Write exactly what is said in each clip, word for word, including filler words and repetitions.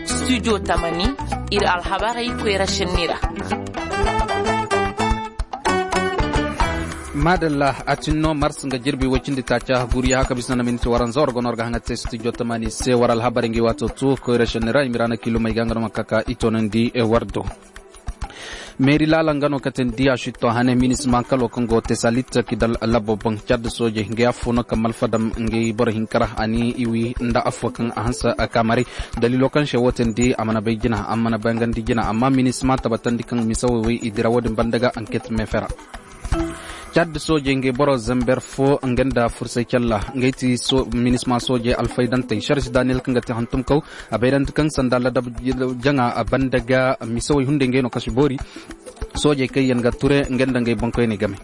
Studio tamani ir alhabarey koyra šenni ra. Maadalla, a tin no mars nga jirbi woy cindi taaca guriya haka bisa na miniti waranza war gono war ga haŋa te studio tamani se war alhabarey ngi waato tu koyra šenni ra i ma ira na kiilumey ga nga no ma kaka i toonandi war do. Meeri laala nga no katin diya sitto hane minisma kalo kaŋ go tesalit kidal labo boŋ cad soojey nga affo no kaŋ malfadam nga boro hinkara a ni i wi nda affo kaŋ a hanse kaamaray. Daliilo kaŋ se wo tindi a mana bay jina a mana bangandi jina amma minisma tabatandi kaŋ mise woy i dira wo-din banda ga anket meefera. Cad soojey nga boro zamber fo nga nda fursay calla nga ay ti minisma soojey alfaydantey sarsi daniyel kaŋ ga te hantumkaw. A bayrandi kaŋ sanda ladab jaŋa banda ga misawey hunday ngey no kasi boori. Soojey kaŋ yaŋ ga ture ngey nda ngey boŋkoyney game.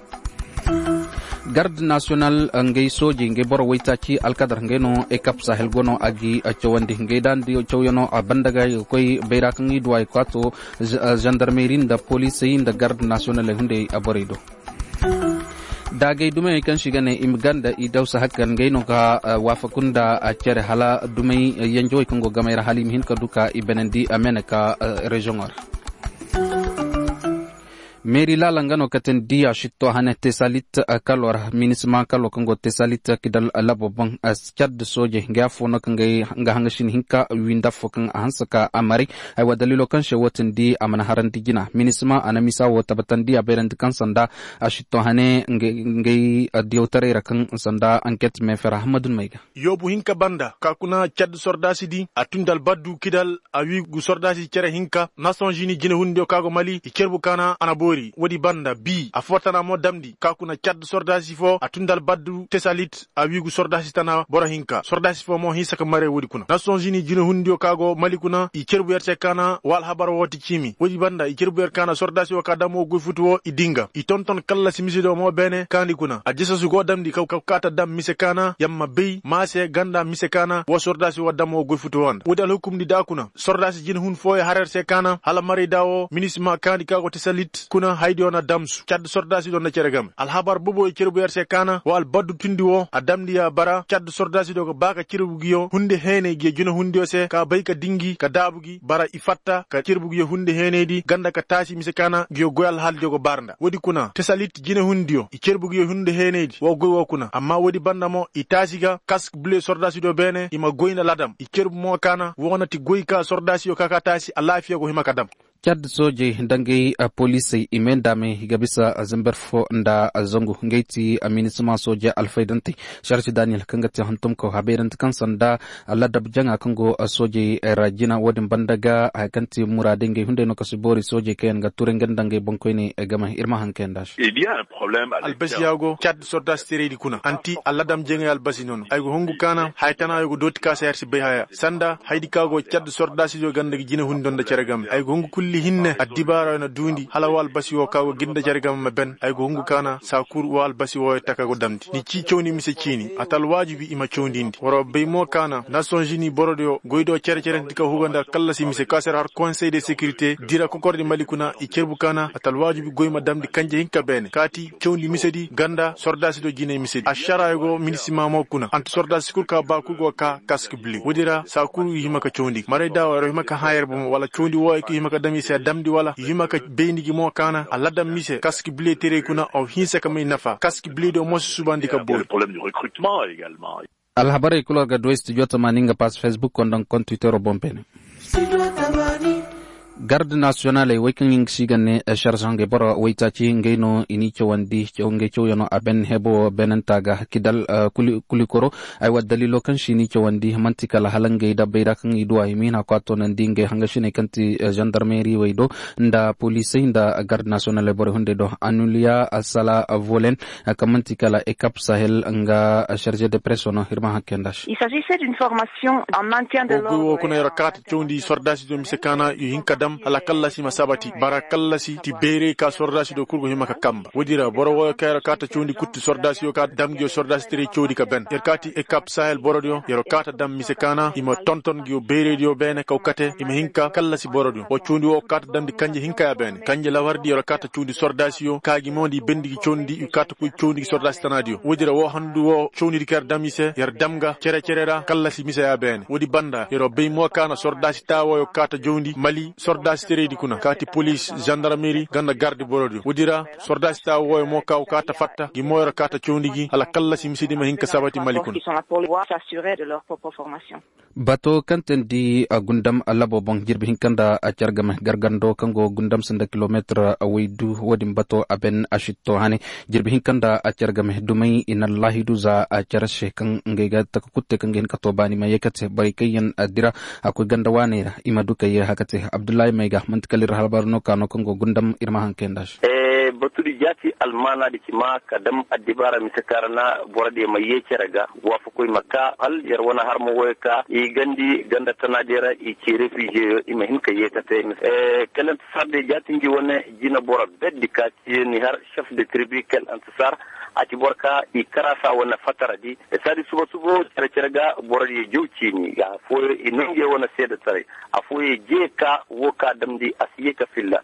Garde nasiyonal ngey soojey ngey boro waytaaci alkadar ngey no ekap sahel go no a gi cawandi ngey daandi cawyano a banda ga i ga koy bayra kaŋ i duwa i kwaato zandarmeri nda poliisey nda garde nasiyonaley hunday borey do. Daagay dumey kaŋ se i ga ne i ma ganda i dawsa hakkan ngey no ga waafaku nda cere hala dumey yanjawey kaŋ go gamey ra hala i ma hin ka du ka i benandi a mene ka reziyoŋo ra. Meeri laala nga no katin diya sitto hane tesalit kalo ra minisma kalo kaŋ go tesalit kidal labo boŋ. Cad soojey nga afo no kaŋ ga haŋasin hinka wiinda fo kaŋ a hanse ka a maray. Aywa daliilo kaŋ se wo tindi a mana harandi jina minisma a na misa wo tabatandi a bayrandi kaŋ sanda a sitto hane ngey diyawtaray ra kaŋ sanda anket meefera hammadun may ga. Yoobu hinka banda ka kuna cad sordaasi di a tun nda albaddu kidal a wiigu sordaasi cere hinka nasonzini jinehundiyo ka go mali i cerbu kaana a na boori woodi banda bii afo tana mo damndi ka kuna cad sordaasi fo a tun nda albaddu tesalit a wiigu sordaasi tana boro hinka sordaasi fo mo hinsa ka mare woodi kuna nasonzini jinehundiyo ka go mali kuna i cerbu yer se kaana wa alhabar wo ti ciimi woodi banda i cerbu yer kaana sordaasi wo ka dam wo goy futu wo i dinga i tonton kallasi mise do mo beene kaandi kuna a jesasu go damndi ka kaata dam mise kaana yamma bay maase ganda mise kaana wa sordaasi wa dam wa goy futu wa nda woodi alhukumndi da kuna sordaasi jin hun fooyo har yer se kaana hala maray da wo minisima kaandi ka go te salit kuna haydi wa na damsu cad sordaasi do nda cere game alhabar bobo i cerbu yer se kaana wa albaddu tundi wo a damndi ya bara cad sordaasi do ga ba ka cerbu gi yo hunde heenay gi yo jina hundiyo se ka bay ka dingi ka daabu gi bara i fatta ka cerbu gi yo hunde heenay di ganda ka taasi mise kaana gi yo goy alhaal di go bara nda woodi kuna te salit jina hundiyo i cerbu gi yo hunde heenay di wo goy wo kuna amma woodi banda mo i taasi ga kask bule sordaasi do beene i ma goy nda ladam i cerbu mo kaana wo na ti goy ka sordaasiyo ka ka taasi alaafiya go hima ka dam. Cad soojey nda ngey poliisey i may nda may i ga bisa zamber fo nda zangu ngey ti minisima soojey alfaydantey sarsi daniyel kaŋ ga te hantumkaw habayrante kaŋ sanda ladab jaŋa kaŋ go soojey ra jina wo-din banda ga haya kaŋ ti muraadey ngey hunday no ka si boori soojey kaŋ yaŋ ga turay nga nda ngey boŋkoyney game ir ma haŋ kayanda se. Albasiya go cad sordaasi teraydi kuna anti alladam jeŋay albasi nono ay go hungu kaana haya tana yo go dooti ka se har si bay haya sanda haydi ka go cad sordaasi yo ganda ga jine hundi nda cere game ay go hungu kulli hinne addibaara yo na duundi hala wa albasi wo ka go ginda cere game ma ben ay go hungu kaana saakur wa albasi wo taka go damndi ni ci cawndi mise ciini ata alwaajibi i ma cawndindi war wa bay mo kaana nasonzini borodiyo goydo cere cere nti ka huga nda kallasi mise ka se har konsey de sekirite dira kokordi mali kuna i cerbu kaana ata alwaajibi goy ma damndi kanje hinka beene kaati cawndi misedi ganda sordaasi do jinay misedi ašarayo go minisima mo kuna anti sordaasi kul ka ba kul go ka kask bili woodi ra saa kul i hima ka cawndi maray da war hima ka hã yer bomo wala cawndi wo ay ka hima ka dam i se damndi wala i hima ka bayndi gi mo kaana aladam mise kask bili teray kuna aw hinsa ka may nafa kask bili do mo si subandi ka boori. Alhabarey kul war ga du studio tamaani nga pass facebook konda nga kontiwitero boŋ beene. Garde nasiyonaley wey kaŋ yaŋ ga si ga ne sarsaŋ ga boro waytaaci ngey no i n'i cawandi ngey cawyano a ben hebo beenanta ga kidal kulikoro. Aywa daliilo kaŋ si n'i cawandi man'ti kala hala ngey dabbey ra kaŋ i du a i ma hin a kwato nandi ngey hangasiney kaŋ ti zandarmeri wey do nda poliisey nda garde nasiyonaley borey hunday do anuliya sala volen kaŋ man'ti kala ekap sahel nga sarze de preso no ir ma haŋ kay nda se. Wo goy wo kuna yer kaata cawndi sordaasi do mise kaana i hin ka dam. Hala kallasi ma sabati bara kallasi ti beeray ka sordaasi do kul go hima ka kamba woodi ra boro wooyo kaŋ yer kaata cawndi kutti sordaasiyo ka dam ngi yo sordaasi teray cawndi ka ben yer kaati ekap sahel borodiyo yer kaata dam mise kaana i ma tonton ngi yo beeraydiyo beene kaw kate i ma hin ka kallasi borodiyo woo cawndi woo kaata damndi kanje hinka ya beene kanje lawardi yer kaata cawndi sordaasiyo ka gi mo nda i bendi gi cawndi i kaata koy cawndi gi sordaasi tanaadiyo woodi ra woo handu woo cawnidi ka yer dam i se yer dam nga cere-cere ra kallasi mise ya beene woodi banda yer bay mo kaana sordaasi taawooyo kaata jawndi mali sordaasi teraydi kuna kaati polis zandarmeri nga nda gardi borodiyo woodi ra sordaasi taawooyo mo ka woo kaata fatta gi mo yer kaata cawndi gi hala kallasi misedi ma hin ka sabati mali kuna. Bato kaŋ teendi gundam labo boŋ jirbi hinka nda car game gargando kaŋ go gundam sanda kilometir waydu wo-din bato a ben a sitto hane jirbi hinka nda car game dumey i na laahidu za car se kaŋ ngey ga taka kutte kaŋ ga hin ka to baani ma ye ka te borey kaŋ yaŋ dira a koy ganda waaney ra i ma du ka ye haka te abdullahi may ga manti kala ir halbar no ka no kaŋ go gundam ir ma haŋ kay nda se. Batudi jaati almaanaadi ci ma ka dam addibaara mise kaŋ ra na borodiyo ma ye cere ga waafakoy ma ka hal yer wane harma wooyo ka i gandi ganda tanaadiyo ra i ci refiziyeyo i ma hin ka yeekate. Kelentasaar de jaati ngi wane jina boro berdi ka ci ni har sef de tribi kelentasaar a ci boro ka i karaasa wane fataradi saadi suba subo cere cere ga borodiyo jaw ciini afooyo i noo ngi wane seedetaray afooyo jee ka woo ka damndi a si yee ka filla.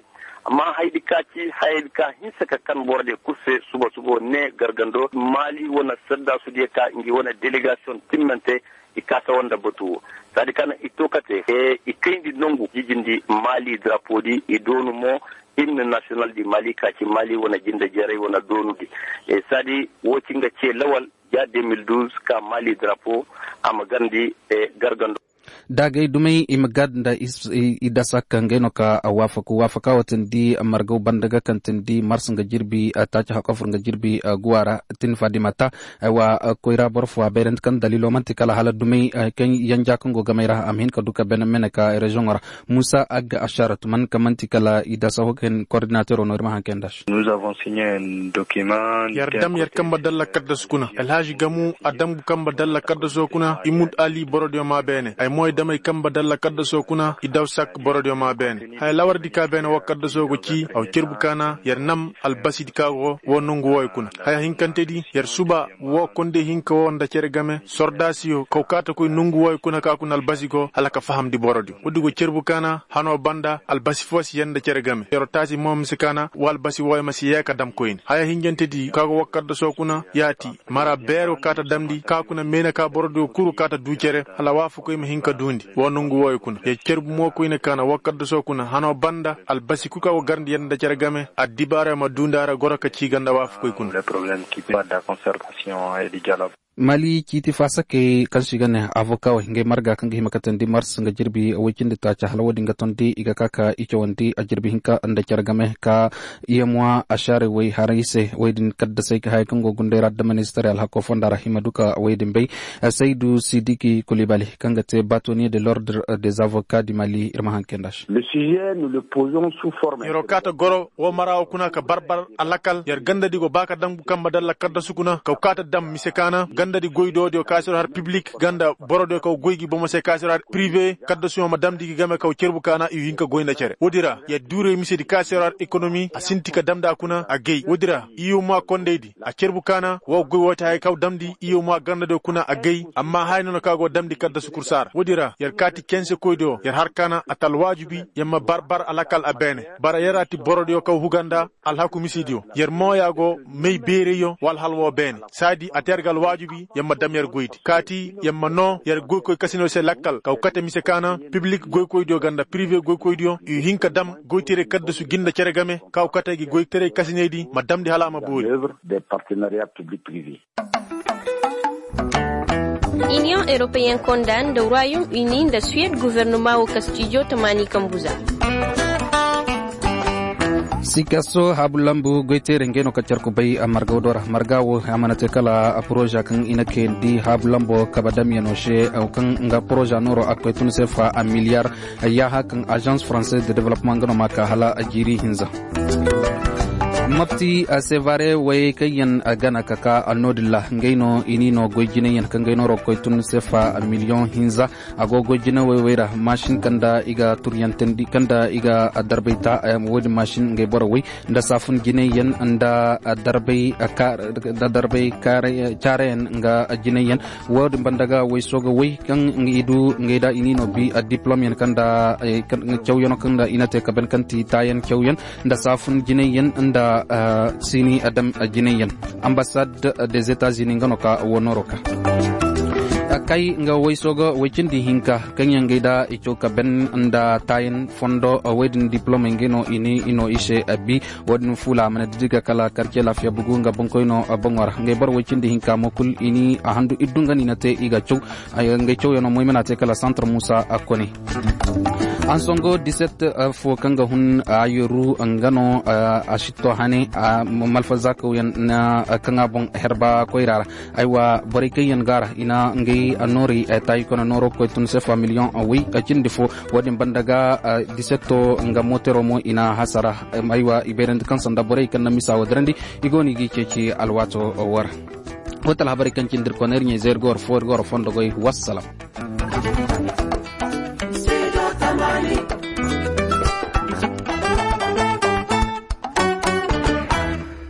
Amma hayadi ka ci hayadi ka hinsa ka kan borodiyo kul se suba subo ne gargando maali wane saddaasudiyo ka ngi wane delegasiyoŋ timmante i kaasa woo nda batu woo saadi kaŋ i to kate i kayndi nongu jijindi maali darapoodi i doonu mo himne nasiyonal di maali ka ci maali wane jinde jeeray wane doonudi saadi woo ci nga cee lawal ja de mil duuz ka maali darapo a ma garndi gargando. Daagay dumey i ma gaad nda i dasak ngey no ka waafaku waafaka wo tindi margaw banda ga kaŋ tindi mars nga jirbi taaci hakofur nga jirbi guwa ra tin fadimata. Aywa koyra boro fo a bayrandi kaŋ daliilo manti kala hala dumey kaŋ yanja kaŋ go gamey ra a ma hin ka du ka bene mene ka reziyoŋo ra. Muusa agga ashaaratu man ka manti kala i dasa ho ga hin kordinatero no ir ma haŋ kay nda se. Yer dam yer kamba dalla kaddasu kuna alhaži gamu a dam kamba dalla kaddaso kuna i mud ali borodiyo ma beene ay mo ay dam ay kamba dalla kaddaso kuna i daw sak borodiyo ma beene haya lawardi ka beene woo kaddaso go ci aw cerbu kaana yer nam albasidi ka go woo nongu wooyo kuna haya hinkantedi yer suba woo kondey hinka woo nda cere game sordaasiyo kaw kaata koy nongu wooyo kuna ka kuna albasi go hala ka fahamndi borodiyo woodi go cerbu kaana hanoo banda albasi foo si yee nda cere game yeroo taasi mo mise kaana woo albasi wooyo ma si yee ka dam koyne haya hinjantedi ka go woo kaddasoo kuna yaati mara beero kaata damndi ka kuna meene ka borodiyo kuru kaata duu cere hala waafakoy ma hin ka duundi woo nongu wooyo kuna yer cerbu mo koyne kaana woo kaddasoo kuna hanoo banda albasi kul ka go garndi yee nda cere game addibaaroo ma duundi a ra goro ka cii ganda waafakoy kuna. Mali ciiti faasakey kaŋ se i ga ne avoka wey ngey marga kaŋ ga hima katandi mars nga jirbi woy cindi taaca hala wo-din ga tondi i ga ka ka i cawandi a jirbi hinka nda care game ka iyemuwa ašaarey wey haray se wey din kaddasey ka haya kaŋ go gunday ra da ministar alhako fonda ra hima duka wey din bay. Saydu sidiki kulibali kaŋ ga te batoniye de l'ordre des avocats du mali ir ma haŋ kay nda se. Yer'o kaata goro woo mara woo kuna ka barbar alakal yer gandadi go ba ka dam kamba dalla kaddasu kuna kaw kaata dam mise kaana gandadi goy do diyo ka se har piblik ganda boro diyo kaw goy gi bomo se ka se har prive kaddasuyo ma damndi gi game kaw cerbu kaana i hin ka goy nda cere woodi ra yer duuray misedi ka se har ekonomi a sinti ka damndi a kuna a gay woodi ra i yuma kondaydi a cerbu kaana woo goy woo ti haya kaw damndi i yuma gandadiyo kuna a gay amma haya noona ka go damndi kaddasu kursa ra woodi ra yer kaati kensekoydiyo yer har kaana a ta alwaajibi yer ma barbar alakal a beene bara yer a ti borodiyo kaw huga nda alhaku misidiyo yer mooya go may beerayyo wala hal woo beene saadi a te yer ga alwaajibi yer ma dam yer goydi kaati yer ma noo yer goykoy kasinayoo se lakkal kaw kate mise kaana piblik goykoydiyo ganda prive goykoydiyo i hin ka dam goyteray kaddasu gi nda cere game kaw kate gi goyteray kasinaydi ma damndi hala a ma boori. Iniyoŋ eropeyen konda nda royom ini nda suwed gofornoma woo kastijo tamaani kambu za. Sikaso haabu lambu goyteere ngey no ka carku bay margaw do ra marga woo a mana te kala poroza kaŋ i na kayandi haabu lambo kabe damyano se kaŋ nga poroza nooro a koy tun se fa a miliyar. Yaaha kaŋ azans faranse de developement nga no ma ka hala jiiri hinza. Mopti sevare wey kaŋ yaŋ gana ka ka noodin ra ngey no i n'i no goy jinay yaŋ kaŋ gay nooro ga koy tun sefa miliyoŋ hinza. A go goy jinay wey wey ra masin kaŋ nda i ga turyantandi kaŋ nda i ga darbay ta. Wo- din masin ngey boro wey nda saafun jinay yaŋ nda darbay caarayaŋ nga jinay yaŋ. Wo- din banda ga wey sooga wey kaŋ i du ngey da i n'i no bi diplom yaŋ kaŋ nda cawyano kaŋ nda i na te ka ban kaŋ ti taayaŋ cawyaŋ nda saafun jinay yaŋ nda siini adam jinay yaŋ. Ambasad des etats unis nga no ka wo nooro ka kay nga wayso ga way cindi hinka kaŋ yaŋ gay da i caw ka ben nda taayan fondo. Way din diplomey ngey no i ni i no i se abi. Wo- din fuula a mana didi ga kala karce laafiya bugu nga boŋkoyno boŋo ra ngey boro way cindi hinka mo kul i ni a handu iddu nga no i na te i ga caw. Ngey cawyaŋo mo i mana te kala santar muusa a kone. Ansongo diset fo kaŋ ga hun a yeru nga no a sitto hane. Malfazakawyaŋ kaŋ a boŋ herba koyra ra. Aywa borey kaŋ yaŋ ga ra i na ngey noorey taayi kone nooro ga koy tun sefa miliyoŋ awey cindi fo. Wo- din banda ga disetto nga mootero mo i na hasara. Aywa i bayrandi kaŋ sanda borey kaŋ na misa wo dirandi i go no i g'i ceeci alwaato wo ra. Wo ti alhabarey kaŋ cindi ir kone ir ɲa-izey ir ga war fo ir ga war fondo goy wassalam.